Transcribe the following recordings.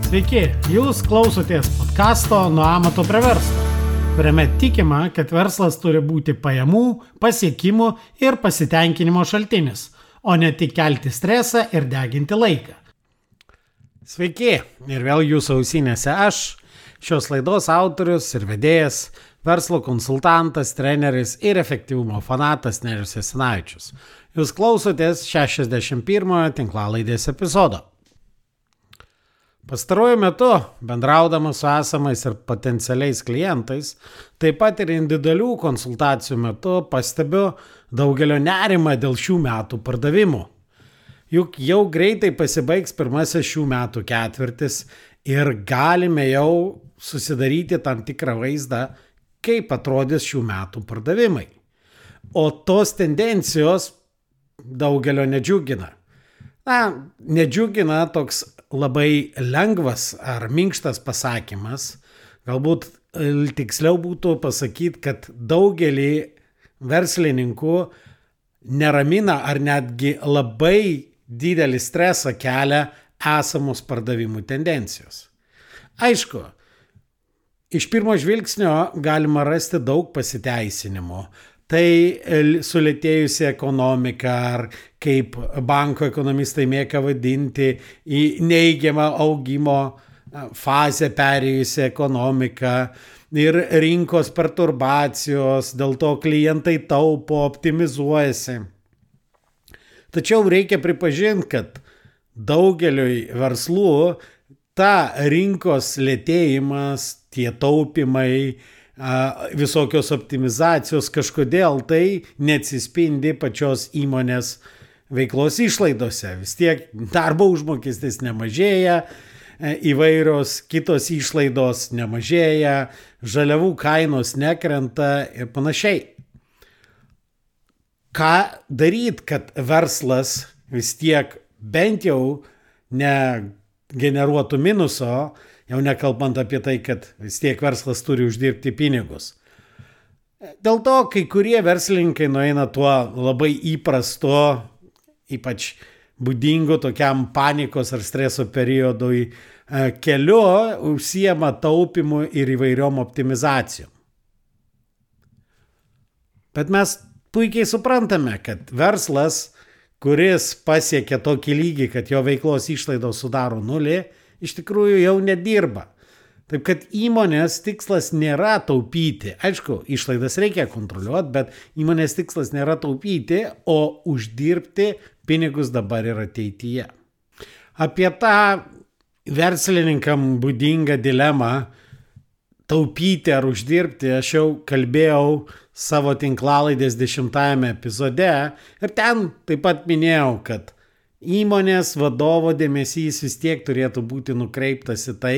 Sveiki, jūs klausotės podcasto Nuo amato prie verslo, kuriame tikima, kad verslas turi būti pajamų, pasiekimų ir pasitenkinimo šaltinis, o ne tik kelti stresą ir deginti laiką. Sveiki, ir vėl jūsų ausinėse aš, šios laidos autorius ir vedėjas, verslo konsultantas, treneris ir efektyvumo fanatas Nerijus Jasinavičius. Jūs klausotės 61 tinklalaidės epizodo. Pastaruoju metu, bendraudamas su esamais ir potencialiais klientais, taip pat ir individualių konsultacijų metu pastebiu daugelio nerimą dėl šių metų pardavimų. Juk jau greitai pasibaigs pirmasis šių metų ketvirtis ir galime jau susidaryti tam tikrą vaizdą, kaip atrodys šių metų pardavimai. O tos tendencijos daugelio nedžiugina. Nedžiugina toks labai lengvas ar minkštas pasakymas. Galbūt tiksliau būtų pasakyti, kad daugelį verslininkų neramina ar netgi labai didelį stresą kelia esamos pardavimų tendencijos. Aišku, iš pirmo žvilgsnio galima rasti daug pasiteisinimų. Tai sulėtėjusi ekonomika, ar kaip banko ekonomistai mėgsta vadinti, į neigiamą augimo fazę perėjusi ekonomika ir rinkos perturbacijos, dėl to klientai taupo, optimizuojasi. Tačiau reikia pripažinti, kad daugeliui verslų ta rinkos lėtėjimas, tie taupimai, visokios optimizacijos kažkodėl tai neatsispindi pačios įmonės veiklos išlaidose. Vis tiek darbo užmokestis nemažėja, įvairios kitos išlaidos nemažėja, žaliavų kainos nekrenta ir panašiai. Ką daryti, kad verslas vis tiek bent jau negeneruotų minuso, jau nekalbant apie tai, kad vis tiek verslas turi uždirbti pinigus. Dėl to kai kurie verslininkai nueina tuo labai įprasto, ypač būdingu tokiam panikos ar streso periodui keliu, užsiema taupimu ir įvairiom optimizacijom. Bet mes puikiai suprantame, kad verslas, kuris pasiekia tokį lygį, kad jo veiklos išlaidos sudaro nulį, iš tikrųjų jau nedirba. Taip kad įmonės tikslas nėra taupyti. Aišku, išlaidas reikia kontroliuoti, bet įmonės tikslas nėra taupyti, o uždirbti pinigus dabar ir ateityje. Apie tą verslininkam būdingą dilemą taupyti ar uždirbti aš jau kalbėjau savo tinklalaidės 10 epizode ir ten taip pat minėjau, kad įmonės vadovo dėmesys vis tiek turėtų būti nukreiptas į tai,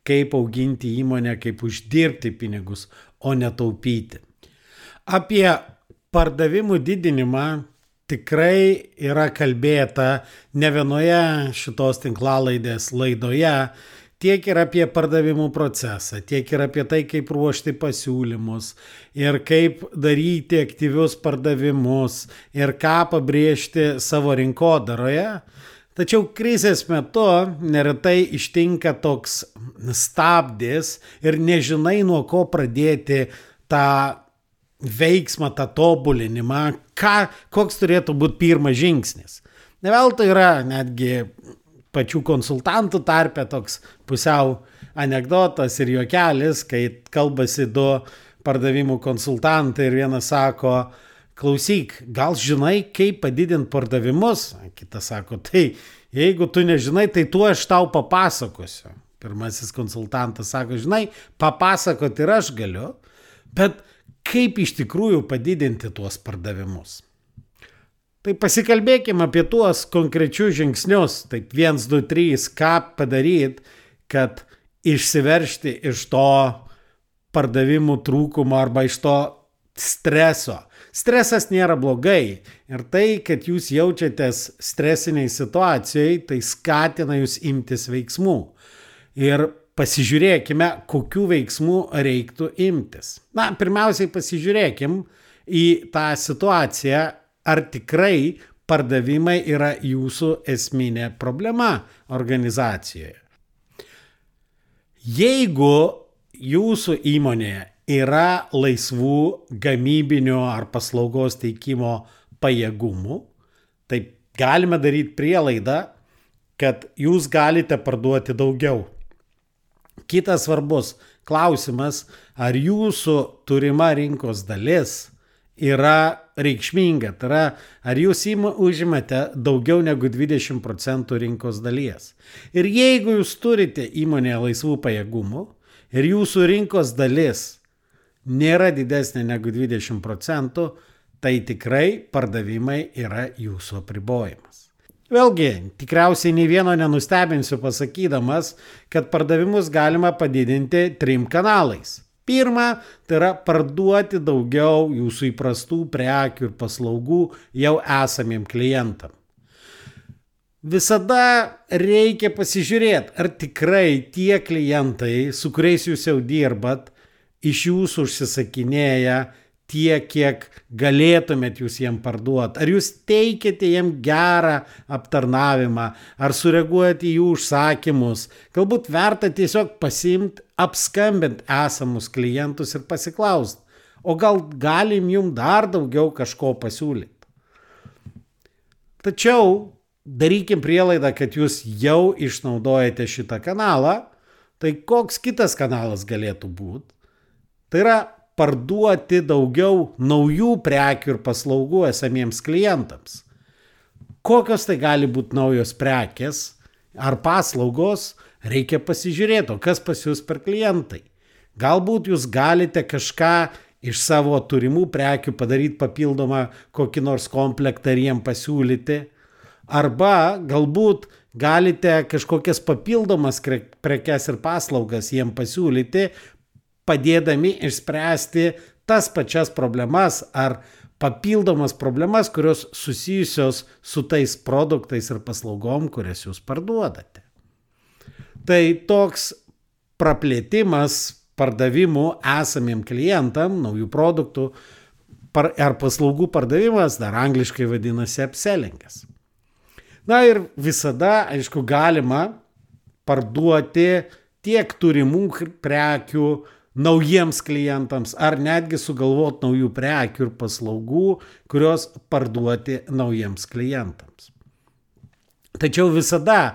kaip auginti įmonę, kaip uždirbti pinigus, o netaupyti. Apie pardavimų didinimą tikrai yra kalbėta ne vienoje šitos tinklalaidės laidoje, tiek ir apie pardavimų procesą, tiek ir apie tai, kaip ruošti pasiūlymus ir kaip daryti aktyvius pardavimus ir ką pabrėžti savo rinkodaroje. Tačiau krizės metu neretai ištinka toks stabdis ir nežinai, nuo ko pradėti tą veiksmą, tą tobulinimą, koks turėtų būti pirmas žingsnis. Ne veltui yra netgi pačių konsultantų tarpe toks pusiau anekdotas ir juokelis, kai kalbasi du pardavimų konsultantai ir vienas sako, klausyk, gal žinai, kaip padidinti pardavimus? Kitas sako, tai jeigu tu nežinai, tai tu aš tau papasakosiu. Pirmasis konsultantas sako, žinai, papasakoti ir aš galiu, bet kaip iš tikrųjų padidinti tuos pardavimus? Tai pasikalbėkime apie tuos konkrečius žingsnius, taip 1, 2, 3, ką padaryti, kad išsiveržti iš to pardavimų trūkumo arba iš to streso. Stresas nėra blogai ir tai, kad jūs jaučiatės stresiniai situacijai, tai skatina jūs imtis veiksmų. Ir pasižiūrėkime, kokių veiksmų reiktų imtis. Pirmiausiai pasižiūrėkim į tą situaciją, ar tikrai pardavimai yra jūsų esminė problema organizacijoje. Jeigu jūsų įmonėje yra laisvų gamybinio ar paslaugos teikimo pajėgumų, tai galime daryti prielaidą, kad jūs galite parduoti daugiau. Kitas svarbus klausimas, ar jūsų turima rinkos dalis yra reikšminga, tai yra, ar jūs užimate daugiau negu 20% rinkos dalies. Ir jeigu jūs turite įmonėje laisvų pajėgumų ir jūsų rinkos dalis nėra didesnė negu 20%, tai tikrai pardavimai yra jūsų apribojimas. Vėlgi, tikriausiai nei vieno nenustebinsiu pasakydamas, kad pardavimus galima padidinti 3 kanalais. Pirma, tai yra parduoti daugiau jūsų įprastų prekių ir paslaugų jau esamiem klientam. Visada reikia pasižiūrėti, ar tikrai tie klientai, su kuriais jūs jau dirbat, iš jūsų užsisakinėja tiek, kiek galėtumėt jūs jiem parduoti. Ar jūs teikiate jiem gerą aptarnavimą, ar sureaguojate į jų užsakymus. Galbūt verta tiesiog pasiimti, apskambinti esamus klientus ir pasiklausti, o gal galim jum dar daugiau kažko pasiūlyti. Tačiau darykim prielaidą, kad jūs jau išnaudojate šitą kanalą, tai koks kitas kanalas galėtų būti? Tai yra parduoti daugiau naujų prekių ir paslaugų esamiems klientams. Kokios tai gali būti naujos prekės ar paslaugos, reikia pasižiūrėti, o kas pas jūs per klientai. Galbūt jūs galite kažką iš savo turimų prekių padaryti papildomą kokį nors komplektą ir jiem pasiūlyti, arba galbūt galite kažkokias papildomas prekes ir paslaugas jiem pasiūlyti, padėdami išspręsti tas pačias problemas ar papildomas problemas, kurios susijusios su tais produktais ir paslaugom, kurias jūs parduodate. Tai toks praplėtimas pardavimų esamiem klientam, naujų produktų ar paslaugų pardavimas, dar angliškai vadinasi upsellingas. Na ir visada, aišku, galima parduoti tiek turimų prekių naujiems klientams, ar netgi sugalvoti naujų prekių ir paslaugų, kurios parduoti naujiems klientams. Tačiau visada,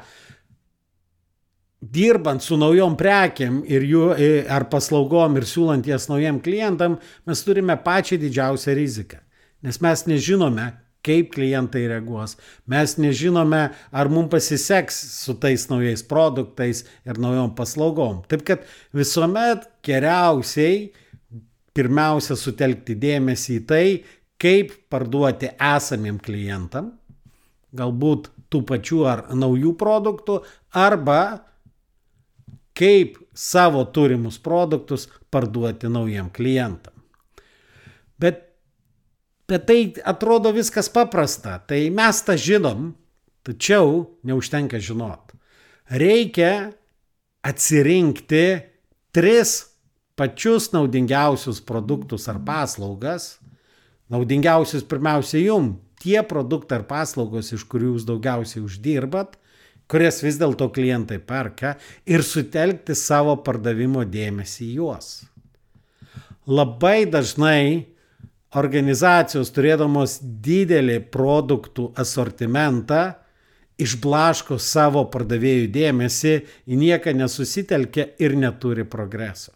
dirbant su naujom prekiam ir jų, ar paslaugom ir siūlant jas naujiem klientam, mes turime pačią didžiausią riziką, nes mes nežinome, kaip klientai reaguos. Mes nežinome, ar mums pasiseks su tais naujais produktais ir naujom paslaugom. Taip kad visuomet geriausiai pirmiausia sutelkti dėmesį į tai, kaip parduoti esamiem klientam, galbūt tų pačių ar naujų produktų, arba kaip savo turimus produktus parduoti naujiem klientam. Bet tai atrodo viskas paprasta, tai mes tą žinom, tačiau neužtenka žinot. Reikia atsirinkti 3 pačius naudingiausius produktus ar paslaugas, naudingiausius pirmiausia jum, tie produktai ar paslaugos, iš kurių jūs daugiausiai uždirbat, kurias vis dėlto klientai perka, ir sutelkti savo pardavimo dėmesį į juos. Labai dažnai organizacijos, turėdamos didelį produktų asortimentą, išblaško savo pardavėjų dėmesį, į nieką nesusitelkia ir neturi progreso.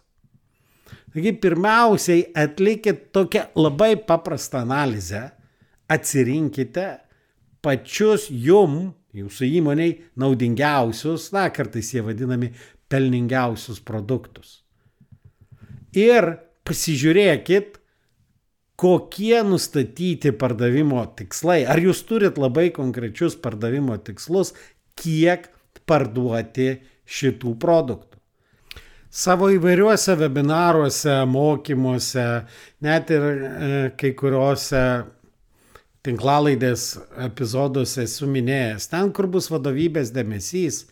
Taigi pirmiausiai atlikit tokią labai paprastą analizę, atsirinkite pačius jūsų įmoniai naudingiausius, kartais jie vadinami pelningiausius produktus. Ir pasižiūrėkit, kokie nustatyti pardavimo tikslai. Ar jūs turit labai konkrečius pardavimo tikslus, kiek parduoti šitų produktų. Savo įvairiuose webinaruose, mokymuose, net ir kai kuriuose tinklalaidės epizoduose esu minėjęs, ten, kur bus vadovybės dėmesys,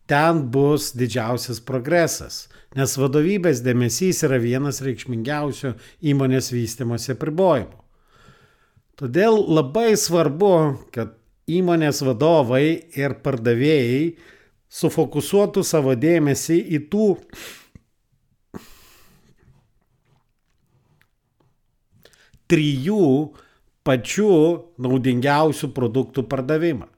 ten bus didžiausias progresas, nes vadovybės dėmesys yra vienas reikšmingiausių įmonės vystymosi apribojimų. Todėl labai svarbu, kad įmonės vadovai ir pardavėjai sufokusuotų savo dėmesį į tų trijų pačių naudingiausių produktų pardavimą.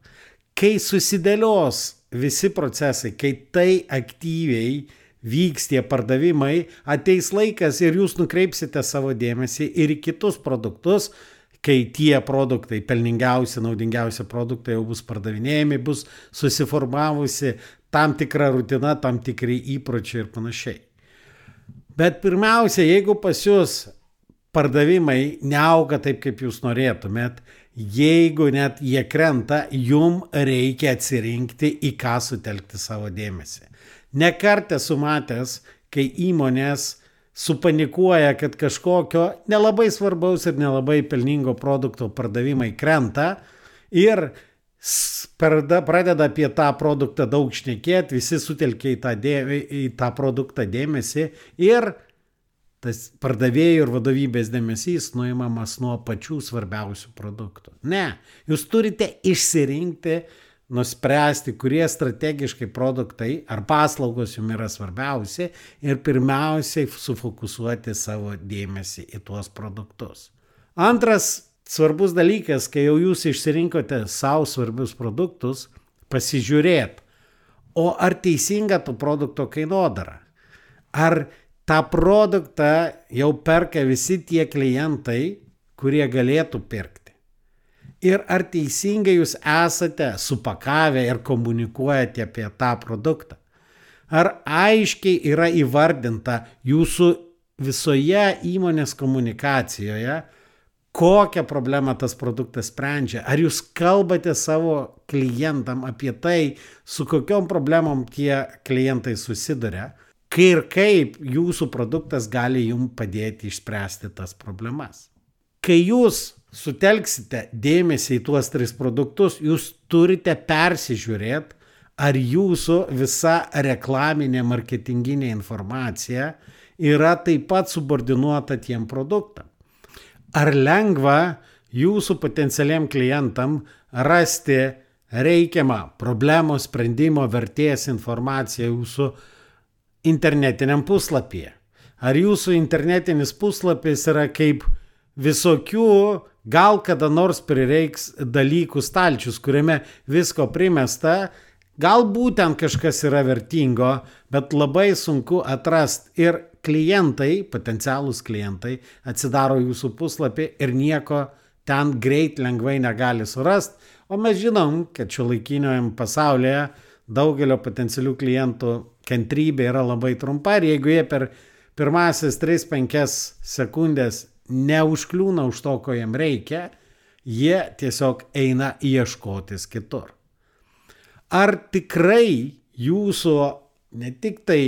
Kai susidėlios visi procesai, kai tai aktyviai vyks tie pardavimai, ateis laikas ir jūs nukreipsite savo dėmesį ir į kitus produktus, kai tie produktai, pelningiausi, naudingiausi produktai jau bus pardavinėjami, bus susiformavusi tam tikra rutina, tam tikri įpročiai ir panašiai. Bet pirmiausia, jeigu pas jūs pardavimai neauga taip, kaip jūs norėtumėt, jeigu net jie krenta, jum reikia atsirinkti, į ką sutelkti savo dėmesį. Ne kartą esu matęs, kai įmonės supanikuoja, kad kažkokio nelabai svarbaus ir nelabai pelningo produkto pardavimai krenta ir pradeda apie tą produktą daug šnekėti, visi sutelkia į tą produktą dėmesį ir tas pardavėjų ir vadovybės dėmesys nuimamas nuo pačių svarbiausių produktų. Ne, jūs turite išsirinkti, nuspręsti, kurie strategiškai produktai ar paslaugos jums yra svarbiausi ir pirmiausiai sufokusuoti savo dėmesį į tuos produktus. Antras svarbus dalykas, kai jau jūs išsirinkote savo svarbius produktus, pasižiūrėt, o ar teisinga to produkto kainodara? Ar tą produktą jau perka visi tie klientai, kurie galėtų pirkti? Ir ar teisingai jūs esate supakavę ir komunikuojate apie tą produktą? Ar aiškiai yra įvardinta jūsų visoje įmonės komunikacijoje, kokią problemą tas produktas sprendžia? Ar jūs kalbate savo klientam apie tai, su kokiom problemom tie klientai susiduria? Ir kaip jūsų produktas gali jums padėti išspręsti tas problemas. Kai jūs sutelksite dėmesį į tuos 3 produktus, jūs turite persižiūrėti, ar jūsų visa reklaminė marketinginė informacija yra taip pat subordinuota tiem produktam. Ar lengva jūsų potencialiam klientam rasti reikiamą problemos sprendimo vertės informaciją jūsų internetiniam puslapyje? Ar jūsų internetinis puslapis yra kaip visokių, gal kada nors prireiks dalykų stalčius, kuriame visko primesta, galbūt ten kažkas yra vertingo, bet labai sunku atrasti ir klientai, potencialūs klientai, atsidaro jūsų puslapį ir nieko ten greit lengvai negali surasti, o mes žinom, kad šiuolaikiniam pasaulyje daugelio potencialių klientų kantrybė yra labai trumpa ir jeigu jie per pirmasis 3-5 sekundės neužkliūna už to, ko jiem reikia, jie tiesiog eina ieškotis kitur. Ar tikrai jūsų ne tik tai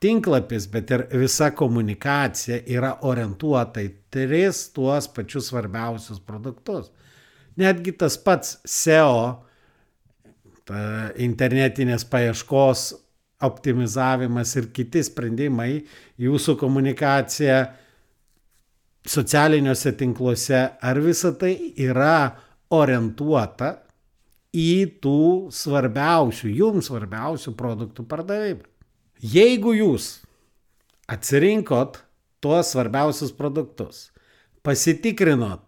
tinklapis, bet ir visa komunikacija yra orientuota į 3 tuos pačius svarbiausius produktus? Netgi tas pats SEO, internetinės paieškos optimizavimas ir kiti sprendimai, jūsų komunikacija socialiniuose tinkluose, ar visa tai yra orientuota į tų svarbiausių, jums svarbiausių produktų pardavimą. Jeigu jūs atsirinkot tuos svarbiausius produktus, pasitikrinot,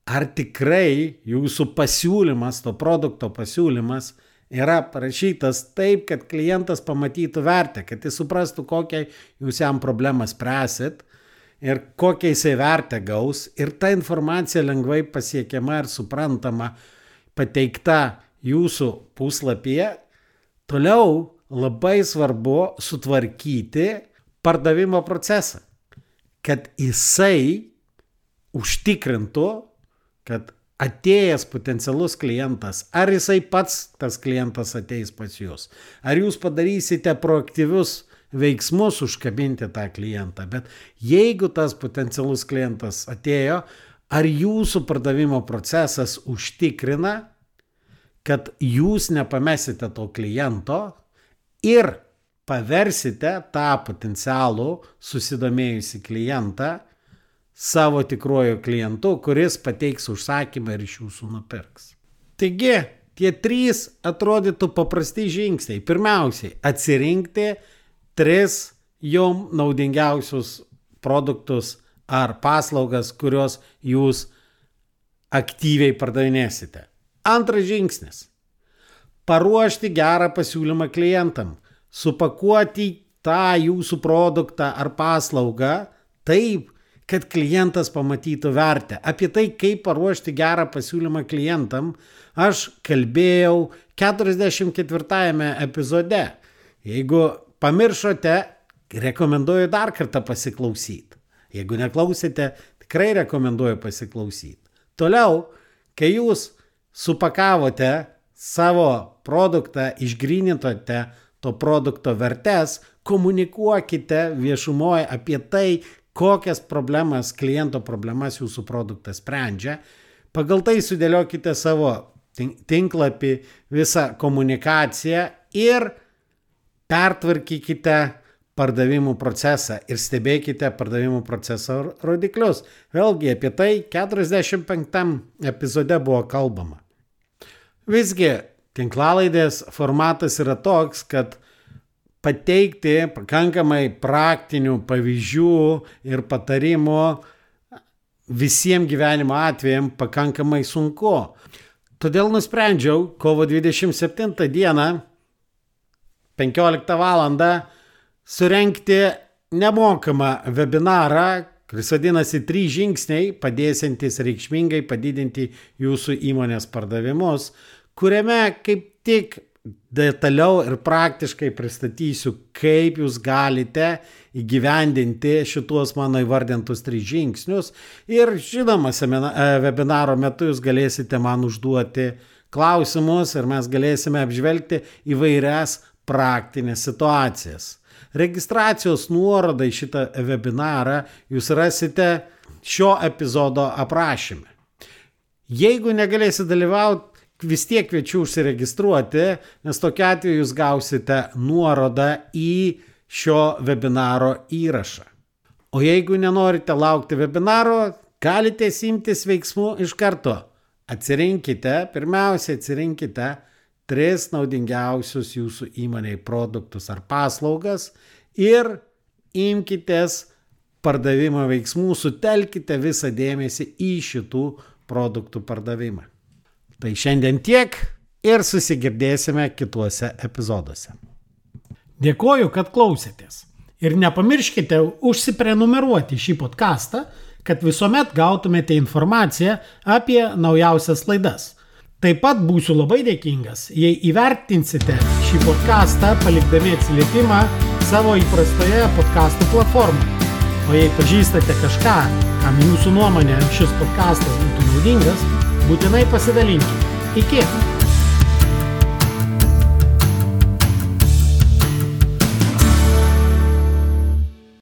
ar tikrai jūsų pasiūlymas, to produkto pasiūlymas yra parašytas taip, kad klientas pamatytų vertę, kad jis suprastų, kokią jūs jam problemą spręsit ir kokią jisai vertę gaus ir ta informacija lengvai pasiekiama ir suprantama pateikta jūsų puslapyje. Toliau labai svarbu sutvarkyti pardavimo procesą, kad jisai užtikrintų, kad atėjęs potencialus klientas, ar jisai pats tas klientas ateis pas jūs, ar jūs padarysite proaktyvius veiksmus užkabinti tą klientą, bet jeigu tas potencialus klientas atėjo, ar jūsų pardavimo procesas užtikrina, kad jūs nepamesite to kliento ir paversite tą potencialų susidomėjusį klientą savo tikruoju klientu, kuris pateiks užsakymą ir iš jūsų nupirks. Taigi, Tie 3 atrodytų paprasti žingsniai. Pirmiausiai, atsirinkti 3 jom naudingiausius produktus ar paslaugas, kurios jūs aktyviai pardavinėsite. Antras žingsnis. Paruošti gerą pasiūlymą klientam. Supakuoti tą jūsų produktą ar paslaugą taip, kad klientas pamatytų vertę. Apie tai, kaip paruošti gerą pasiūlymą klientam, aš kalbėjau 44 epizode. Jeigu pamiršote, rekomenduoju dar kartą pasiklausyti. Jeigu neklausėte, tikrai rekomenduoju pasiklausyti. Toliau, kai jūs supakavote savo produktą, išgrynintote to produkto vertes, komunikuokite viešumoje apie tai, kokias problemas, kliento problemas jūsų produktas sprendžia. Pagal tai sudėliokite savo tinklapį, visą komunikaciją ir pertvarkykite pardavimų procesą ir stebėkite pardavimų proceso rodiklius. Vėlgi apie tai 45 epizode buvo kalbama. Visgi, tinklalaidės formatas yra toks, kad pateikti pakankamai praktinių pavyzdžių ir patarimų visiems gyvenimo atvejams pakankamai sunku. Todėl nusprendžiau kovo 27 dieną 15 valandą surengti nemokamą webinarą, kuris vadinasi 3 žingsniai padėsiantys reikšmingai padidinti jūsų įmonės pardavimus, kuriame kaip tik detaliau ir praktiškai pristatysiu, kaip jūs galite įgyvendinti šituos mano įvardintus 3 žingsnius. Ir žinoma, webinaro metu jūs galėsite man užduoti klausimus ir mes galėsime apžvelgti įvairias praktinės situacijas. Registracijos nuorodą į šitą webinarą jūs rasite šio epizodo aprašyme. Jeigu negalėsite dalyvauti, vis tiek kviečiu užsiregistruoti, nes tokiu atveju jūs gausite nuorodą į šio webinaro įrašą. O jeigu nenorite laukti webinaro, galite imtis veiksmų iš karto. Pirmiausia atsirinkite 3 naudingiausius jūsų įmonei produktus ar paslaugas ir imkitės pardavimo veiksmų, sutelkite visą dėmesį į šitų produktų pardavimą. Tai šiandien tiek ir susigirdėsime kituose epizoduose. Dėkoju, kad klausėtės. Ir nepamirškite užsiprenumeruoti šį podcastą, kad visuomet gautumėte informaciją apie naujausias laidas. Taip pat būsiu labai dėkingas, jei įvertinsite šį podcastą palikdami atsiliepimą savo įprastoje podcastų platformoje. O jei pažįstate kažką, kam jūsų nuomonė šis podcastas būtų naudingas, būtinai pasidalinkite. Iki!